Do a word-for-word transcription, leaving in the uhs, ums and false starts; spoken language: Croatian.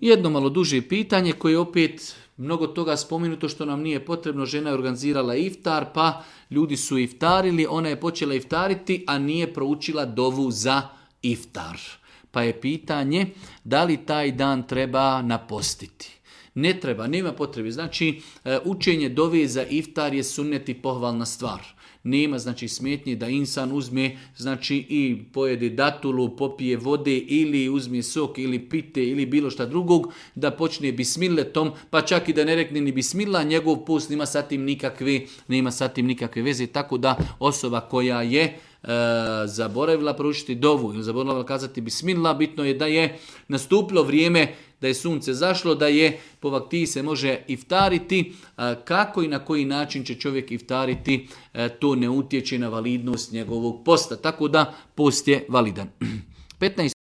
Jedno malo duže pitanje koje je opet mnogo toga spomenuto što nam nije potrebno. Žena je organizirala iftar, pa ljudi su iftarili, ona je počela iftariti, a nije proučila dovu za iftar. Pa je pitanje da li taj dan treba napostiti. Ne treba, nema potrebe. Znači, učenje dove za iftar je sunnet i pohvalna stvar. Nema znači smetnje da insan uzme znači i pojede datulu, popije vode ili uzme sok ili pite ili bilo šta drugog, da počne bismilletom, pa čak i da ne rekne ni bismillah, njegov post nema sa tim nikakve, nema sa tim nikakve veze. Tako da osoba koja je e, zaboravila proučiti dovu ili zaboravila kazati bismillah, bitno je da je nastupilo vrijeme, da je sunce zašlo, da je po vaktiji se može iftariti. Kako i na koji način će čovjek iftariti, to ne utječe na validnost njegovog posta. Tako da post je validan. petnaest